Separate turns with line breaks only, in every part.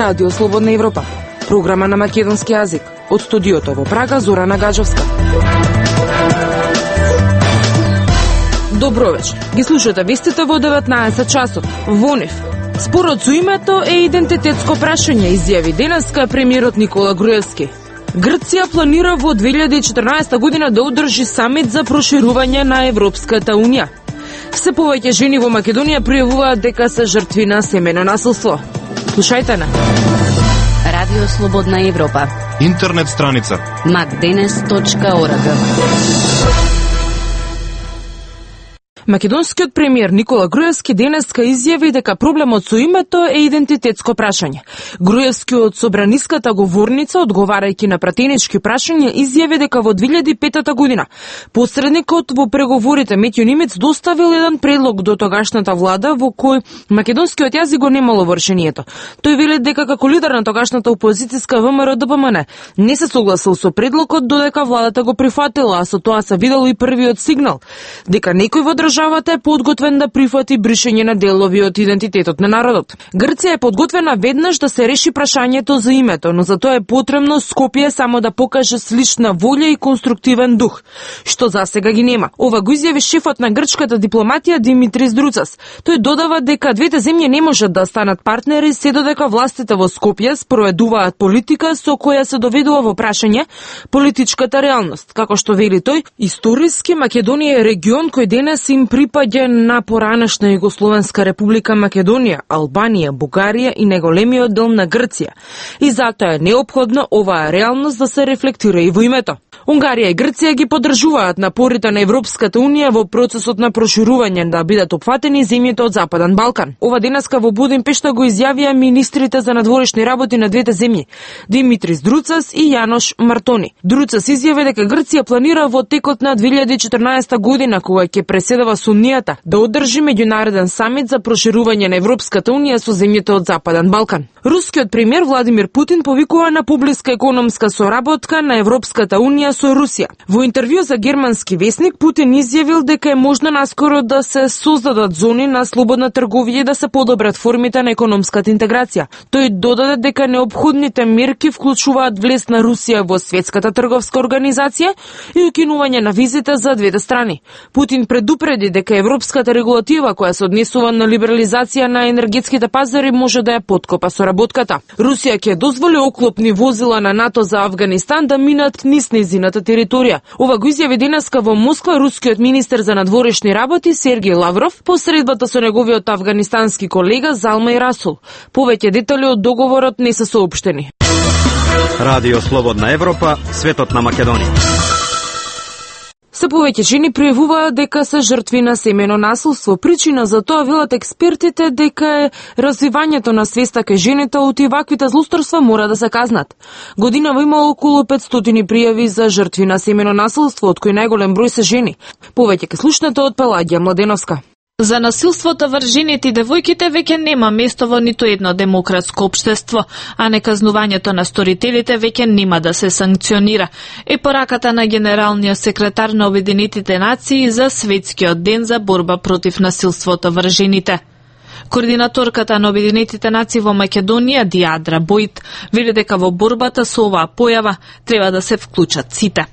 Радио Слободна Европа, програма на македонски јазик. Од студиото во Прага, Зорана Гаджовска. Добро вечер. Ги слушате вестите во 19 часот. Во нив. Спорот со името е идентитетско прашање, изјави денеска премиерот Никола Груевски. Грција планира во 2014 година да одржи самит за проширување на Европската Унија. Се повеќе жени во Македонија пријавуваат дека се жртви на семено насилство. Слушајте на
Радио Слободна Европа.
Интернет страница
macdenes.org.
Македонскиот премиер Никола Груевски денеска изјави дека проблемот со името е идентитетско прашање. Груевски од собраниската говорница, одговарајќи на пратенички прашања, изјави дека во 2005 година посредникот во преговорите Метјо Нимец доставил еден предлог до тогашната влада во кој македонскиот јазик го немало во решението. Тој вели дека како лидер на тогашната опозицијска ВМРО-ДПМН не се согласил со предлогот, додека владата го прифатила, а со тоа се видел и првиот сигнал дека некој во државата е подготвен да прифати бришење на делови од идентитетот на народот. Грција е подготвена веднаш да се реши прашањето за името, но за тоа е потребно Скопје само да покаже слична волја и конструктивен дух, што засега ги нема. Ова го изјави шефот на грчката дипломатија Димитрис Друцас. Тој додава дека двете земји не можат да станат партнери се додека властите во Скопје спроведуваат политика со која се доведува во прашање политичката реалност. Како што вели тој, историски Македонија е регион кој денес им припаѓа на поранешна Југословенска република Македонија, Албанија, Бугарија и неголемиот дел на Грција. И затоа е неопходно оваа реалност да се рефлектира и во името. Унгарија и Грција ги поддржуваат напорите на Европската Унија во процесот на проширување да бидат опфатени земјите од Западен Балкан. Ова денеска во Будимпешта го изјавија министрите за надворешни работи на двете земји, Димитрис Друцас и Јанош Мартони. Друцас изјави дека Грција планира во текот на 2014 година, кога ќе преседава со Унијата, да одржи меѓународен самит за проширување на Европската Унија со земјите од Западен Балкан. Рускиот премиер Владимир Путин повикува на поблиска економска соработка на Европската Унија со Русија. Во интервју за германски весник Путин изјавил дека е можно наскоро да се создадат зони на слободна трговија и да се подобрат формите на економската интеграција. Тој додаде дека неопходните мерки вклучуваат влез на Русија во Светската трговска организација и укинување на визите за двете страни. Путин предупреди дека европската регулатива која се однесува на либерализација на енергетските пазари може да ја поткопа соработката. Русија ќе дозволи оклопни возила на НАТО за Авганистан да минат низ нејзината територија. Ова го изјави денеска во Москва рускиот министер за надворешни работи Сергеј Лавров по средбата со неговиот авганистански колега Залмај Расул. Повеќе детали од договорот не се соопштени.
Радио Слободна Европа, светот на Македонија.
Се повеќе жени пријавуваат дека се жртви на семено насилство. Причина за тоа велат експертите дека е развивањето на свеста кај жените од ваквите злосторства мора да се казнат. Годинава има околу 500 пријави за жртви на семено насилство, од кои најголем број се жени. Повеќе ке слушнете од Пелагија Младеновска.
За насилството врз жените и девојките веќе нема место во ниту едно демократско општество, а неказнувањето на сторителите веќе нема да се санкционира. Е пораката на генералниот секретар на Обединетите нации за Светскиот ден за борба против насилството врз жените. Координаторката на Обединетите нации во Македонија, Диадра Бојт, вели дека во борбата со оваа појава треба да се вклучат сите.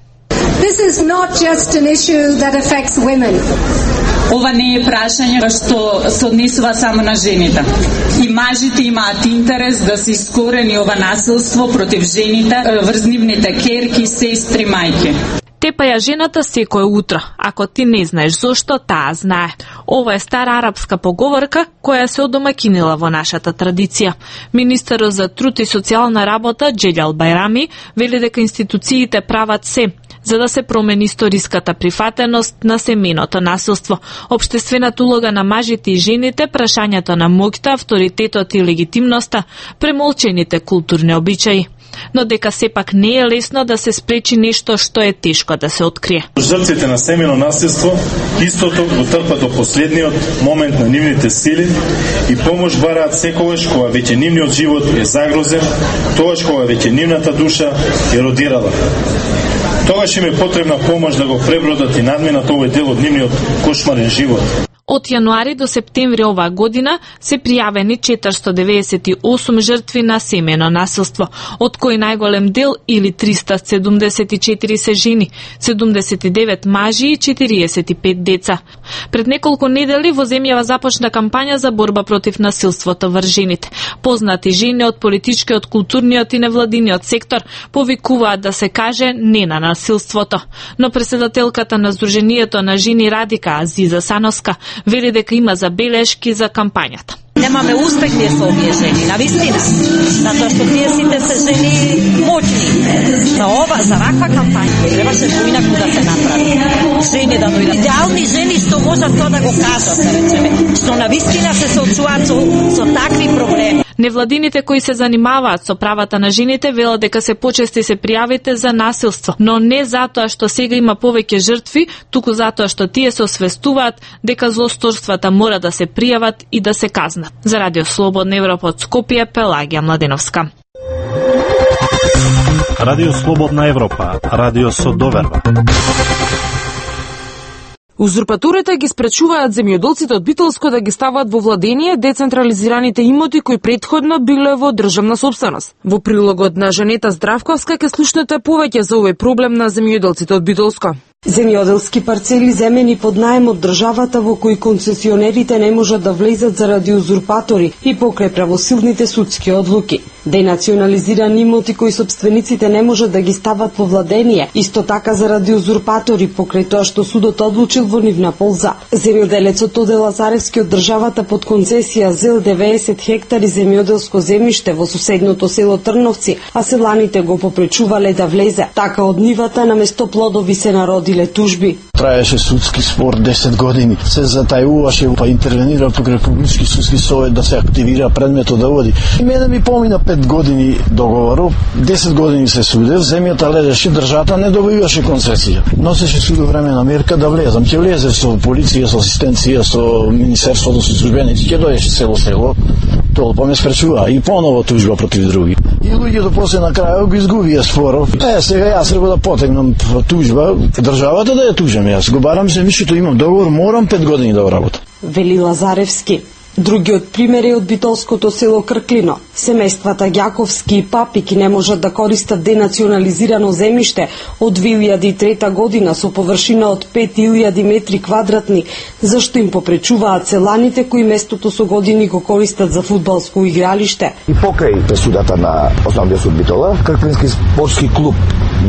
This is not just an issue that affects women.
Ова не е прашање што се однесува само на жените. И мажите имаат интерес да се искорени ова насилство против жените, врз нивните ќерки, сестри, мајки.
Тепа ја жената секој утро. Ако ти не знаеш зошто, таа знае. Ова е стара арапска поговорка која се одомакинила во нашата традиција. Министерот за труд и социјална работа Джелјал Бајрами вели дека институциите прават се за да се промени историската прифатеност на семеното насилство, општествената улога на мажите и жените, прашањето на моќта, авторитетот и легитимноста, премолчените културни обичаи. Но дека сепак не е лесно да се спречи нешто што е тешко да се открие.
Жртвите на семено насилство истото го трпат до последниот момент на нивните сили и помош бараат секогаш кога веќе нивниот живот е загрозен, тогаш кога веќе нивната душа еродирала. Тогаш им е потребна помош да го пребродат и надминат овој дел од нивниот кошмарен живот.
Од јануари до септември оваа година се пријавени 498 жртви на семејно насилство, од кои најголем дел или 374 се жени, 79 мажи и 45 деца. Пред неколку недели во земјава започна кампања за борба против насилството врз жените. Познати жени од политичкиот, културниот и невладиниот сектор повикуваат да се каже не на насилството. Но председателката на Сдруженијето на жени Радика, Азиза Sanoska, вели дека има забелешки за кампањата.
Немаме успех ние со овие жени, навистина, затоа што тие сите се жени моќни. За ваква кампања требаше поинаку да се направи. Жени да дојдат. Идеални жени што можат тоа да го кажат, да речеме, што навистина се соочуваат со такви проблеми.
Невладините кои се занимаваат со правата на жените велат дека се почести се пријавите за насилство, но не затоа што сега има повеќе жртви, туку затоа што тие се освестуваат дека злосторствата мора да се пријават и да се казнат. За Радио Слободна Европа од Скопје, Пелагија Младеновска.
Радио Слободна Европа, радио со доверба.
Узурпаторите ги спречуваат земјоделците од Битолско да ги стават во владение децентрализираните имоти кои претходно биле во државна сопственост. Во прилогот на Жанета Здравковска ќе слушнете повеќе за овој проблем на земјоделците од Битолско.
Земјоделски парцели земени под наем од државата во кои концесионерите не можат да влезат заради узурпатори и покрај правосилните судски одлуки. Денационализирани имоти кои собствениците не можат да ги стават во владение, исто така заради узурпатори покрај тоа што судот одлучил во нивна полза. Земјоделецот Оде Лазаревски од државата под концесија зел 90 хектари земјоделско земјиште во соседното село Трновци, а селаните го попречувале да влезе. Така од нивата наместо плодови се народиле тужби.
Траеше судски спор 10 години. Се затајуваше, па интервенира покрај публички судски совет да се активира предметот да води. И мене ми помина 5 години договору, 10 години се судев, земјата лежеше, државата не добиваше концесија. Носеше судо време на мерка да влезам. Ќе влезе со полиција, со асистенција, со министерството, со службеници, ќе дојдеше село, толпа ме спречува и поново тужба против други. И луѓето после на крајот го изгубија споров. Сега јас треба да потегнам тужба, државата да ја тужам јас. Го барам земјишето, имам договор, морам 5 години да го работам.
Вели Лазаревски. Другиот пример е од битолското село Крклино. Семејствата Ѓаковски и Папики не можат да користат денационализирано земјиште од 2003 година со површина од 5000 метри квадратни, зашто им попречуваат селаните кои местото со години го користат за фудбалско игралиште.
И покрај пресудата на Основниот суд Битола, Крклински спортски клуб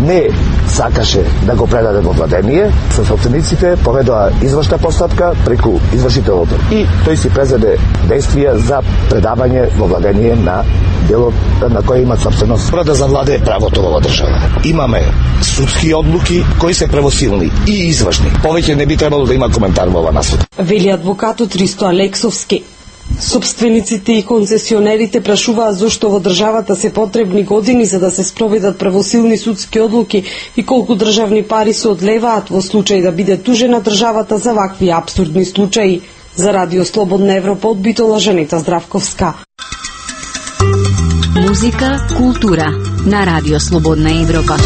не сакаше да го предаде во владение, со собствениците поведоа извршна постапка преку извршителот и тој си презеде действија за предавање во владение на делот на кој имат собственост. Мора да завладее правото во држава. Имаме судски одлуки кои се правосилни и извршни. Повеќе не би требало да има коментар во ова насока.
Вели адвокатот Ристо Алексовски. Собствениците и концесионерите прашуваат зошто во државата се потребни години за да се спроведат правосилни судски одлуки и колку државни пари се одлеваат во случај да биде тужена државата за вакви апсурдни случаи. За Радио Слободна Европа од Битола, Жанета Здравковска.
Музика, култура на Радио Слободна Европа.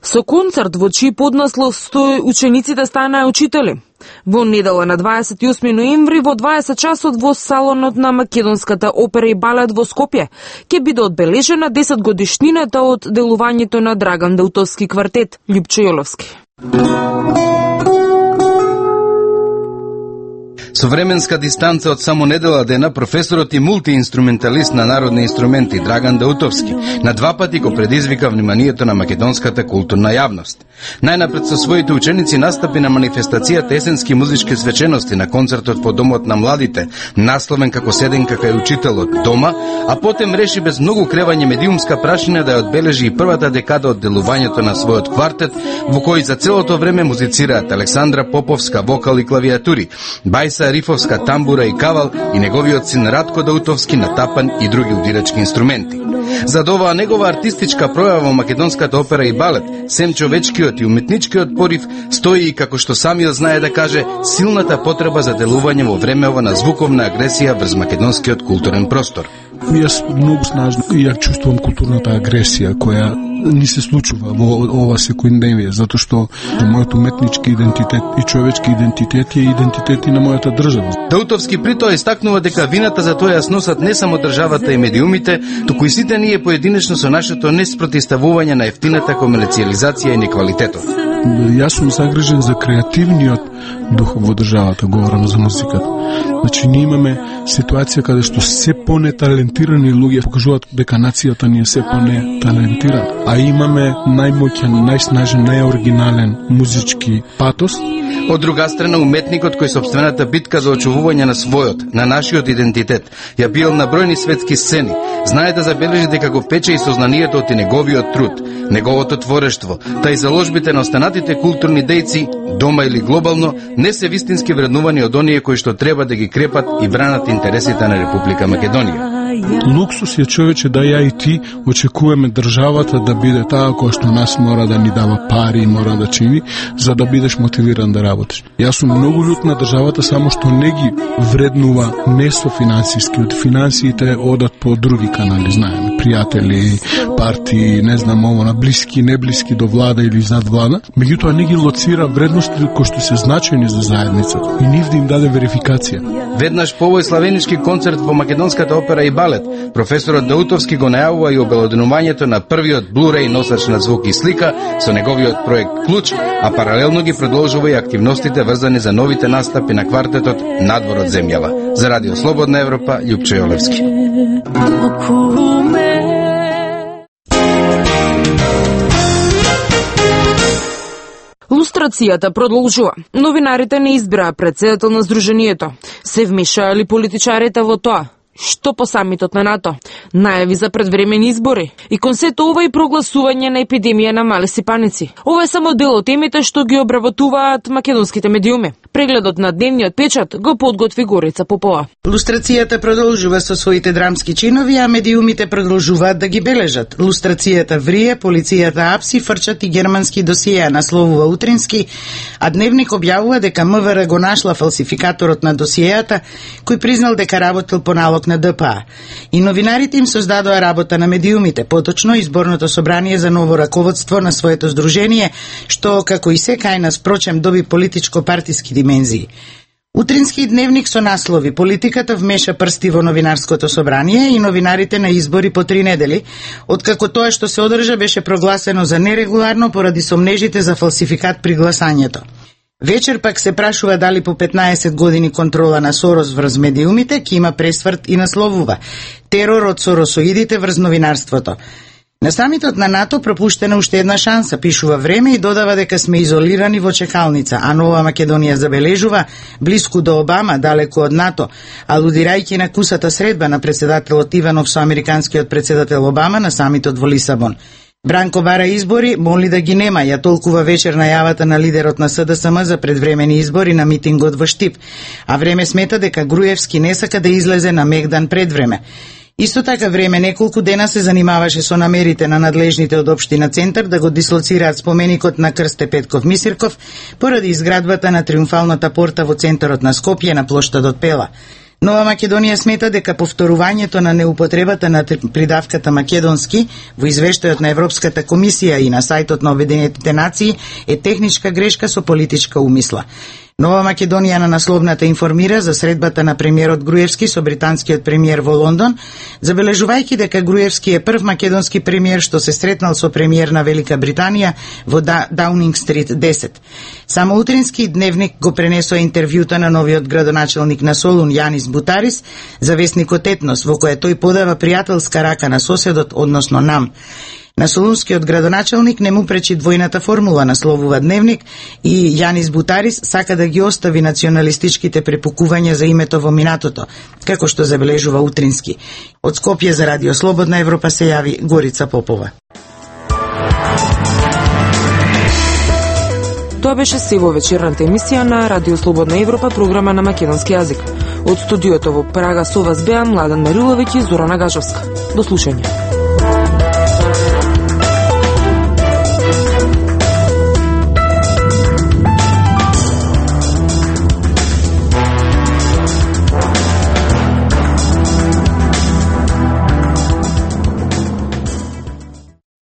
Со концерт во чиј поднаслов стои учениците станаа учители. Во недела на 28 ноември во 20 часот во салонот на Македонската опера и балет во Скопје ќе биде одбележена 10 годишнината од делувањето на Драган Даутовски квартет Љупчо Јоловски.
Со временска дистанца од само недела дена, професорот и мултиинструменталист на народни инструменти Драган Даутовски на два пати го предизвика вниманието на македонската културна јавност. Најнапред со своите ученици настапи на манифестацијата есенски музички свечености на концертот по Домот на младите, насловен како Седенка кај учителот дома, а потем реши без многу кревање медиумска прашина да ја одбележи и првата декада од делувањето на својот квартет, во кој за целото време музицираат Александра Поповска вокал и клавиатури, Бајса Рифовска тамбура и кавал и неговиот син Радко Даутовски на тапан и други удирачки инструменти. За оваа негова артистичка пројава во македонската опера и балет, сем човечкиот и уметничкиот порив стои и како што самиот знае да каже, силната потреба за делување во времева на звуковна агресија врз македонскиот културен простор.
Јас многу снажно ја чувствувам културната агресија која ни се случува во ова секојдневие, затоа што мојот уметнички идентитет и човечки идентитет е идентитет и на мојата држава.
Даутовски притоа истакнува дека вината за тоа ја сносат не само државата и медиумите, туку и сите ние поединечно со нашето неспротиставување на ефтината комерцијализација и неквалитетот.
Јас сум загрижен за креативниот дух во државата, говорам за музиката. Значи, ние имаме ситуација каде што се понеталентирани луѓе покажуваат дека нацијата ни е се понеталентирана. А имаме најмоќен, најснажен, најоригинален музички патос.
Од друга страна, уметникот кој сопствената битка за очувување на својот, на нашиот идентитет, ја бил на бројни светски сцени, знае да забележи дека го пече и сознанието од неговиот труд, неговото творештво, та и заложбите на останатите културни дејци, дома или глобално, не се вистински вреднувани од оние кои што треба да ги крепат и бранат интересите на Република Македонија.
Луксус е, човече, да ја и ти очекуваме државата да биде таа која што нас мора да ни дава пари и мора да чини, за да бидеш мотивиран да работиш. Јас сум многу љут на државата само што не ги вреднува не со финансиски, од финансиите одат по други канали, знаеме, пријатели, партии, не знам ово, на блиски, неблиски до влада или зад влада, меѓутоа не ги лоцира вредности кои што се значајни за заедницата и нив да им даде верификација.
Веднаш по овој славенички концерт во Македонската опера и балет, професорот Даутовски го најавува и обелоденувањето на првиот Blu-ray носач на звук и слика со неговиот проект Клуч, а паралелно ги продолжува и активностите врзани за новите настапи на квартетот Надвор од земјава. За Радио Слободна Европа, Љупчо Јолевски.
Лустрацијата продолжува. Новинарите не избираа претседател на Сдруженијето. Се вмешаа ли политичарите во тоа? Што по самитот на НАТО? Најави за предвремени избори. И кон сето ова и прогласување на епидемија на малеси паници. Ова е само дел од темите што ги обработуваат македонските медиуми. Прегледот на дневниот печат го подготви Горица Попова.
Лустрацијата продолжува со своите драмски чинови, а медиумите продолжуваат да ги бележат. Лустрацијата врие, полицијата апси, фрчат и германски досиеа, насловува Утрински, а Дневник објавува дека МВР го нашла фалсификаторот на досиеата, кој признал дека работил по налог на ДПА. И новинарите им создадоа работа на медиумите, поточно изборното собрание за ново раководство на своето здружение, што, како и секај нас, прочем, доби политичко-партиски димензии. Утрински Дневник со наслови: политиката вмеша прсти во новинарското собрание и новинарите на избори по 3 недели, откако тоа што се одржа беше прогласено за нерегуларно поради сомнежите за фалсификат при гласањето. Вечер пак се прашува дали по 15 години контрола на Сорос врз медиумите ќе има пресврт и насловува: терор од соросоидите врз новинарството. На самитот на НАТО пропуштена уште една шанса, пишува Време и додава дека сме изолирани во чекалница, а Нова Македонија забележува блиску до Обама, далеку од НАТО, алудирајќи на кусата средба на председателот Иванов со американскиот председател Обама на самитот во Лисабон. Бранко бара избори, моли да ги нема, ја толкува вечер најавата на лидерот на СДСМ за предвремени избори на митингот во Штип, а Време смета дека Груевски не сака да излезе на мегдан пред време. Исто така Време неколку дена се занимаваше со намерите на надлежните од Општина Центар да го дислоцираат споменикот на Крсте Петков Мисирков поради изградбата на триумфалната порта во центарот на Скопје на плоштадот Пела. Нова Македонија смета дека повторувањето на неупотребата на придавката македонски во извештајот на Европската комисија и на сајтот на Обединетите нации е техничка грешка со политичка умисла. Нова Македонија на насловната информира за средбата на премиерот Груевски со британскиот премиер во Лондон, забележувајќи дека Груевски е прв македонски премиер што се сретнал со премиер на Велика Британија во Даунинг Стрит 10. Само Утрински Дневник го пренесоа интервјута на новиот градоначелник на Солун Јанис Бутарис за весникот Етнос, во која тој подава пријателска рака на соседот, односно нам. На солунскиот градоначелник не му пречи двојната формула, насловува Дневник, и Јанис Бутарис сака да ги остави националистичките препукувања за името во минатото, како што забележува Утрински. Од Скопје за Радио Слободна Европа се јави Горица Попова.
Тоа беше се во вечерната емисија на Радио Слободна Европа, програма на македонски јазик. Од студиото во Прага со вас беа Младен Мариловиќ и Зорана Гажовска. До слушање.